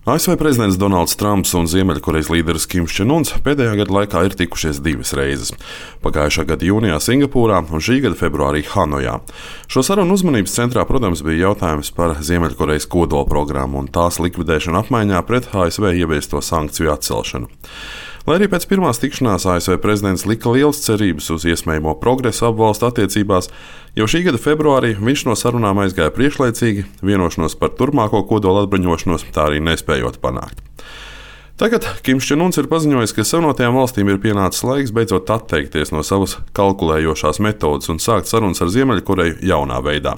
ASV prezidents Donalds Trumps un Ziemeļkorejas līderis Kims Čen Uns pēdējā gada laikā ir tikušies divas reizes. Pagājušā gada jūnijā Singapūrā un šī gada februārī Hanojā. Šo sarunu uzmanības centrā, protams, bija jautājums par Ziemeļkorejas kodolprogrammu un tās likvidēšanu apmaiņā pret ASV ieviesto sankciju atcelšanu. Lai arī pēc pirmās tikšanās ASV prezidents lika lielas cerības uz iespējamo progresu abu valstu attiecībās, jau šī gada februārī viņš no sarunām aizgāja priekšlaicīgi, vienošanos par turpmāko kodola atbruņošanos tā arī nespējot panākt. Tagad Kims Čen Uns ir paziņojis, ka Savienotajām valstīm ir pienācis laiks beidzot atteikties no savas kalkulējošās metodes un sākt sarunas ar Ziemeļkoreju jaunā veidā.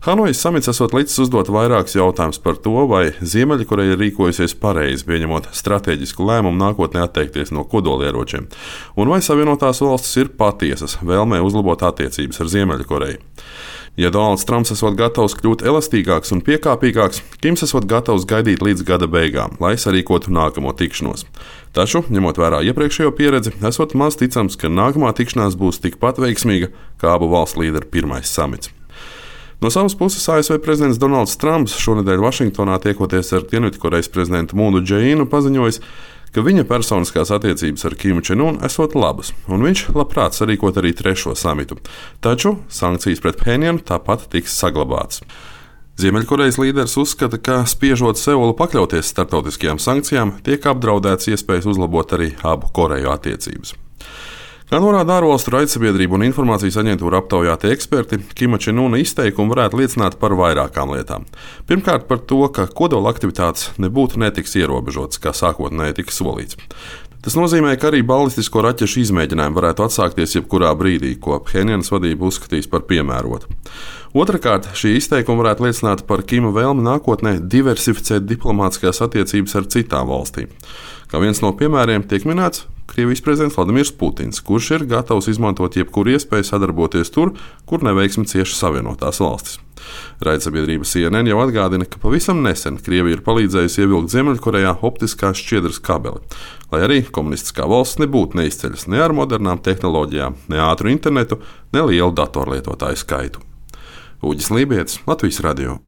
Hanojas samits esot licis uzdot vairākus jautājumus par to, vai Ziemeļkoreja ir rīkojusies pareizi, pieņemot stratēģisku lēmumu nākotnē atteikties no kodolieročiem, un vai Savienotās valstis ir patiesas vēlmē uzlabot attiecības ar Ziemeļkoreju. Ja Donalds Trumps esot gatavs kļūt elastīgāks un piekāpīgāks, Kims esot gatavs gaidīt līdz gada beigām, lai sarīkotu nākamo tikšanos. Taču, ņemot vērā iepriekšējo pieredzi, esot maz ticams, ka nākamā tikšanās būs tikpat veiksmīga kā abu valstu līderu pirmais samits. No savas puses ASV prezidents Donalds Trumps šonedēļ Vašingtonā tiekoties ar Dienvidkorejas prezidentu Mūnu Džeīnu paziņojis, ka viņa personiskās attiecības ar Kimu Čen Unu esot labas, un viņš labprāt sarīkot arī trešo samitu. Taču sankcijas pret Phenjanu tāpat tiks saglabātas. Ziemeļkorejas līderis uzskata, ka spiežot Seulu pakļauties starptautiskajām sankcijām, tiek apdraudēts iespējas uzlabot arī abu Koreju attiecības. Kā norāda ārvalstu raidsabiedrību un informācijas aģentūra aptaujātie eksperti, Kima Čen Una izteikumi varētu liecināt par vairākām lietām. Pirmkārt, par to, ka kodola aktivitātes nebūtu netiks ierobežotas, kā sākotnēji tika solīts. Tas nozīmē, ka arī balistisko raķešu izmēģinājumi varētu atsākties jebkurā brīdī, ko Phenjanas vadība uzskatīs par piemērotu. Otrakārt, šī izteikuma varētu liecināt par Kima vēlmi nākotnē diversificēt diplomātiskās attiecības ar citām valstīm. Kā viens no piemēriem tiek minēts Krievijas prezidents Vladimirs Putins, kurš ir gatavs izmantot jebkuru iespēju sadarboties tur, kur neveiksmi cieši Savienotās valstis. Raidsabiedrība CNN jau atgādina, ka pavisam nesen Krievija ir palīdzējusi ievilkt Ziemeļkorejā optiskās šķiedras kabeli, lai arī komunistiskā valsts nebūtu neizceļas ne ar modernām tehnoloģijām, ne ātru internetu, ne lielu datorlietotāju skaitu. Uģis Lībietis, Latvijas radio.